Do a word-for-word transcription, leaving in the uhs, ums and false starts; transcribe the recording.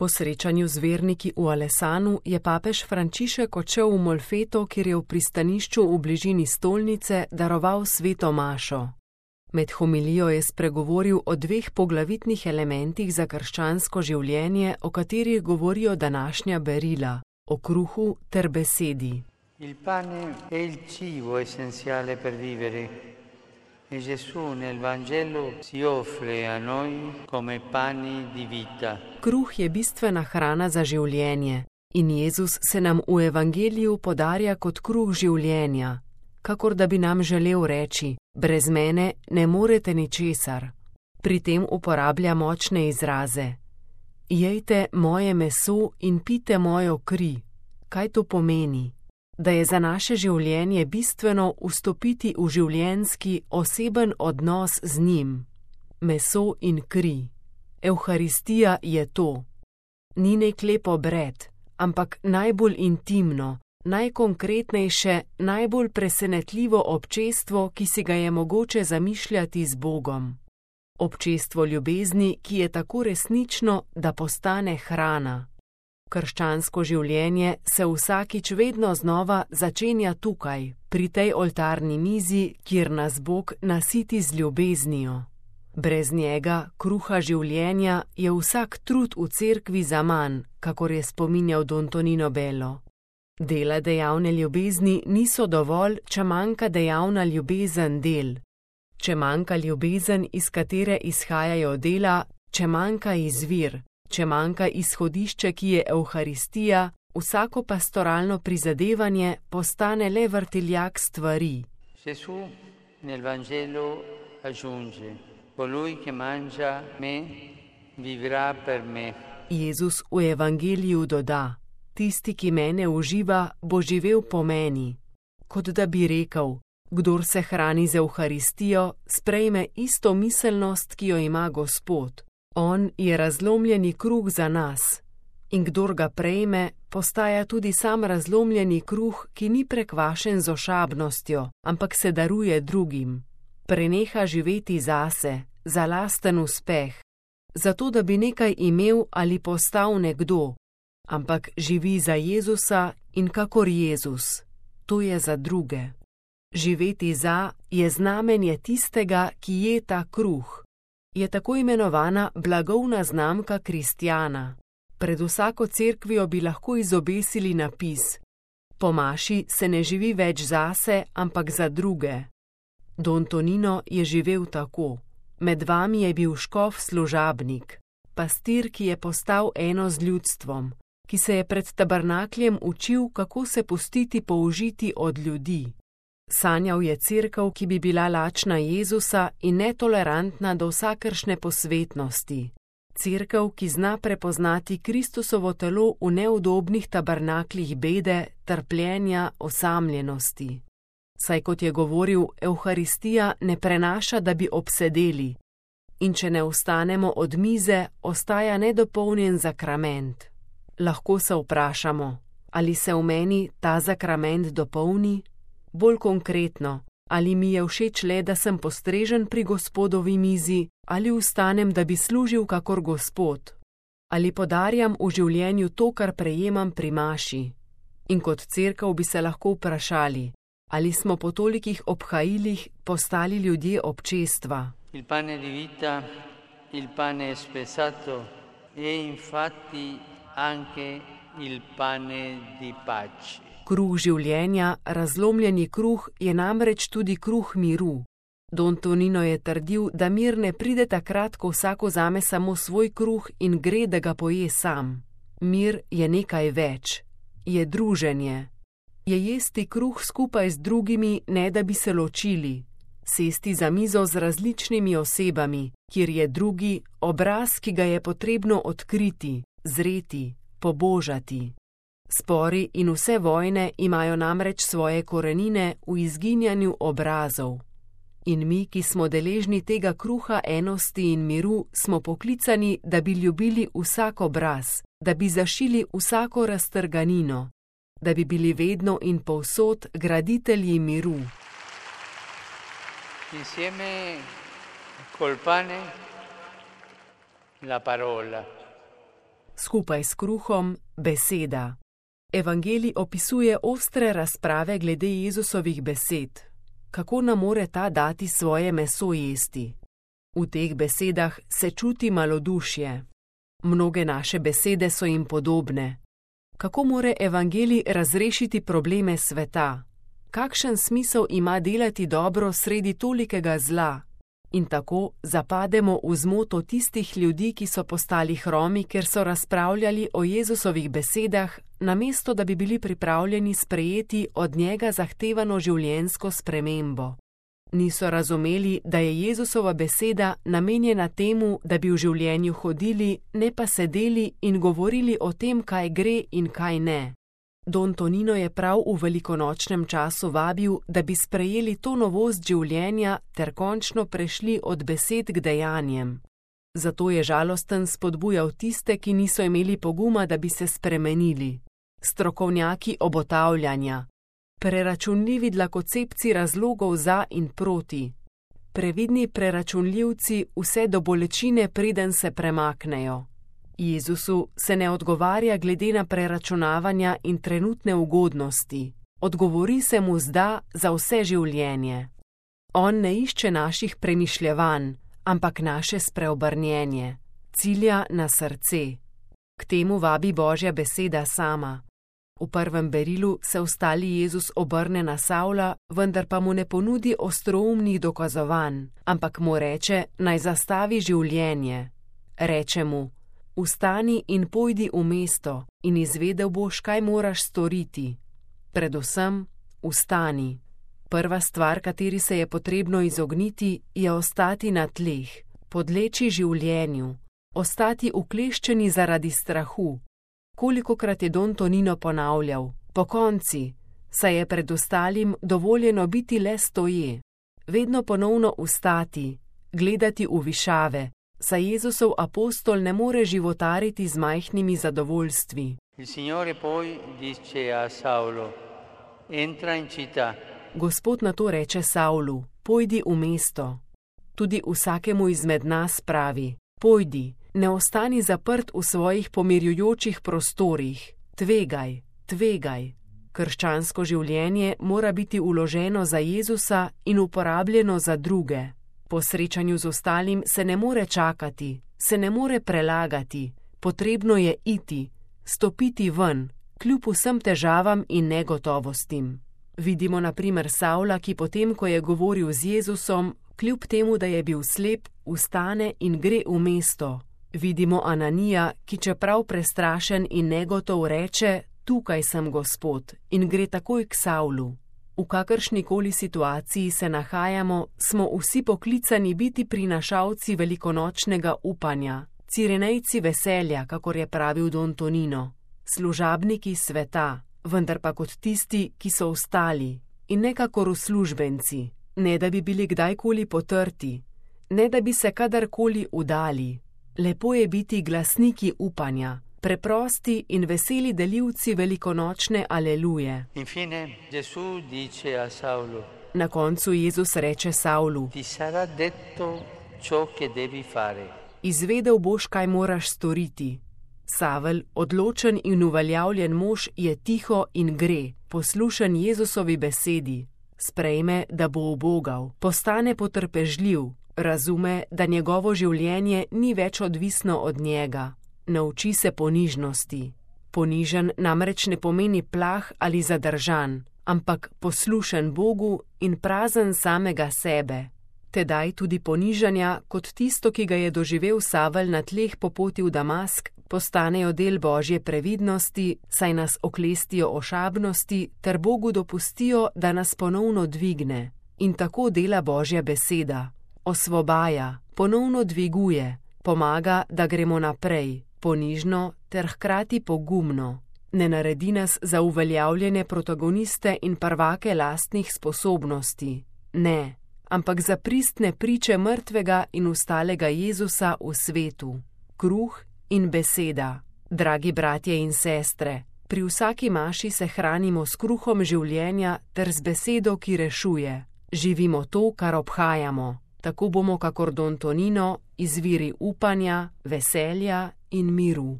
Po srečanju z verniki v Alesanu je papež Frančišek odšel v Molfeto, kjer je v pristanišču v bližini stolnice daroval sveto mašo. Med homilijo je spregovoril o dveh poglavitnih elementih za krščansko življenje, o katerih govorijo današnja berila, o kruhu ter besedi. Il pane è il cibo essenziale per vivere. E Gesù nel Vangelo si offre a noi come pani di vita. Kruh je bistvena hrana za življenje in Jezus se nam v Evangeliju podarja kot kruh življenja, kakor da bi nam želel reči: brez mene ne morete ničesar. Pri tem uporablja močne izraze. Jejte moje meso in pite mojo kri. Kaj to pomeni? Da je za naše življenje bistveno vstopiti v življenjski, oseben odnos z njim. Meso in kri. Evharistija je to. Ni nek lep obred, ampak najbolj intimno, najkonkretnejše, najbolj presenetljivo občestvo, ki si ga je mogoče zamišljati z Bogom. Občestvo ljubezni, ki je tako resnično, da postane hrana. Krščansko življenje se vsakič vedno znova začenja tukaj, pri tej oltarni mizi, kjer nas Bog nasiti z ljubeznijo. Brez njega, kruha življenja, je vsak trud v cerkvi zaman, kakor je spominjal Don Tonino Bello. Dela dejavne ljubezni niso dovolj, če manjka dejavna ljubezen del. Če manjka ljubezen, iz katere izhajajo dela, če manjka izvir, če manjka izhodišče, ki je Evharistija, vsako pastoralno prizadevanje postane le vrtiljak stvari. Gesù nel Vangelo aggiunge: colui che mangia me vivrà per me. Jezus v Evangeliju doda: tisti, ki mene uživa, bo živel po meni. Kot da bi rekel: kdor se hrani z Evharistijo, sprejme isto miselnost, ki jo ima Gospod. On je razlomljeni kruh za nas. In kdor ga prejme, postaja tudi sam razlomljeni kruh, ki ni prekvašen z ošabnostjo, ampak se daruje drugim. Preneha živeti zase, za lasten uspeh, zato da bi nekaj imel ali postal nekdo, ampak živi za Jezusa in kakor Jezus. To je za druge. Živeti za je znamenje tistega, ki je ta kruh. Je tako imenovana blagovna znamka kristjana. Pred vsako cerkvijo bi lahko izobesili napis: po maši se ne živi več zase, ampak za druge. Don Tonino je živel tako. Med vami je bil škof služabnik, pastir, ki je postal eno z ljudstvom, ki se je pred tabernakljem učil, kako se pustiti použiti od ljudi. Sanjal je cerkev, ki bi bila lačna Jezusa in netolerantna do vsakršne posvetnosti. Cerkev, ki zna prepoznati Kristusovo telo v neudobnih tabernaklih bede, trpljenja, osamljenosti. Saj kot je govoril, Evharistija ne prenaša, da bi obsedeli. In če ne vstanemo od mize, ostaja nedopolnjen zakrament. Lahko se vprašamo, ali se v meni ta zakrament dopolni? Bolj konkretno, ali mi je všeč le, da sem postrežen pri Gospodovi mizi, ali vstanem, da bi služil kakor Gospod, ali podarjam v življenju to, kar prejemam pri maši. In kot cerkev bi se lahko vprašali, ali smo po tolikih obhajilih postali ljudje občestva. Il pane di vita, il pane spezzato e infatti anche il pane di pace. Kruh življenja, razlomljeni kruh, je namreč tudi kruh miru. Don Tonino je trdil, da mir ne pride takrat, ko vsak vzame samo svoj kruh in gre, da ga poje sam. Mir je nekaj več. Je druženje. Je jesti kruh skupaj z drugimi, ne da bi se ločili. Sesti za mizo z različnimi osebami, kjer je drugi obraz, ki ga je potrebno odkriti, zreti, pobožati. Spori in vse vojne imajo namreč svoje korenine v izginjanju obrazov. In mi, ki smo deležni tega kruha enosti in miru, smo poklicani, da bi ljubili vsak obraz, da bi zašili vsako raztrganino, da bi bili vedno in povsod graditelji miru. Insieme col pane la parola. skupaj s kruhom beseda. Evangelij opisuje ostre razprave glede Jezusovih besed. Kako nam more ta dati svoje meso jesti? V teh besedah se čuti malodušje. Mnoge naše besede so jim podobne. Kako more evangelij razrešiti probleme sveta? Kakšen smisel ima delati dobro sredi tolikega zla? In tako zapademo v zmoto tistih ljudi, ki so postali hromi, ker so razpravljali o Jezusovih besedah, namesto da bi bili pripravljeni sprejeti od njega zahtevano življenjsko spremembo. Niso razumeli, da je Jezusova beseda namenjena temu, da bi v življenju hodili, ne pa sedeli in govorili o tem, kaj gre in kaj ne. Don Tonino je prav v velikonočnem času vabil, da bi sprejeli to novost življenja ter končno prešli od besed k dejanjem. Zato je žalosten spodbujal tiste, ki niso imeli poguma, da bi se spremenili. Strokovnjaki obotavljanja, preračunljivi dlakocepci razlogov za in proti, previdni preračunljivci vse do bolečine, preden se premaknejo. Jezusu se ne odgovarja glede na preračunavanja in trenutne ugodnosti. Odgovori se mu zda za vse življenje. On ne išče naših premišljevanj, ampak naše spreobrnjenje, cilja na srce. K temu vabi Božja beseda sama. V prvem berilu se ustali Jezus obrne na Savla, vendar pa mu ne ponudi ostroumnih dokazovanj, ampak mu reče, naj zastavi življenje. Reče mu: Vstani in pojdi v mesto in izvedel boš, kaj moraš storiti. Predvsem, vstani. Prva stvar, kateri se je potrebno izogniti, je ostati na tleh, podleči življenju, ostati ukleščeni zaradi strahu. Kolikokrat je Don Tonino ponavljal: pokonci, saj je pred ostalim dovoljeno biti le stoje. Vedno ponovno vstati, gledati v višave, saj Jezusov apostol ne more životariti z majhnimi zadovoljstvi. Il Signore poi dice a Saulo: entra in città. Gospod na to reče Savlu: pojdi v mesto. Tudi vsakemu izmed nas pravi: pojdi, ne ostani zaprt v svojih pomirjujočih prostorih. Tvegaj, tvegaj. Krščansko življenje mora biti vloženo za Jezusa in uporabljeno za druge. Po srečanju z ostalim se ne more čakati, se ne more prelagati, potrebno je iti, stopiti ven, kljub vsem težavam in negotovostim. Vidimo na primer Savla, ki potem, ko je govoril z Jezusom, kljub temu, da je bil slep, vstane in gre v mesto. Vidimo Ananija, ki čeprav prestrašen in negotov reče: tukaj sem, Gospod, in gre takoj k Savlu. V kakršnikoli situaciji se nahajamo, smo vsi poklicani biti prinašalci velikonočnega upanja, cirenejci veselja, kakor je pravil Don Tonino, služabniki sveta, vendar pa kot tisti, ki so ostali, in ne kakor uslužbenci, ne da bi bili kdajkoli potrti, ne da bi se kadarkoli udali. Lepo je biti glasniki upanja, preprosti in veseli delivci velikonočne aleluje. Infine, Gesù dice a Saulo: Na koncu Jezus reče Savlu: ti sarà detto ciò che devi fare. Izvedel boš, kaj moraš storiti. Savel, odločen in uveljavljen mož, je tiho in gre, poslušen Jezusovi besedi. Sprejme, da bo ubogal, postane potrpežljiv, razume, da njegovo življenje ni več odvisno od njega. Nauči se ponižnosti. Ponižen namreč ne pomeni plah ali zadržan, ampak poslušen Bogu in prazen samega sebe. Tedaj tudi ponižanja, kot tisto, ki ga je doživel Savel na tleh po poti v Damask, postanejo del Božje previdnosti, saj nas oklestijo ošabnosti ter Bogu dopustijo, da nas ponovno dvigne. In tako dela Božja beseda. Osvobaja, ponovno dviguje, pomaga, da gremo naprej, ponižno ter hkrati pogumno. Ne naredi nas za uveljavljene protagoniste in prvake lastnih sposobnosti. Ne, ampak za pristne priče mrtvega in ustalega Jezusa v svetu. Kruh in beseda. Dragi bratje in sestre, pri vsaki maši se hranimo s kruhom življenja ter z besedo, ki rešuje. Živimo to, kar obhajamo. Tako bomo, kakor Don Tonino, izviri upanja, veselja in miru.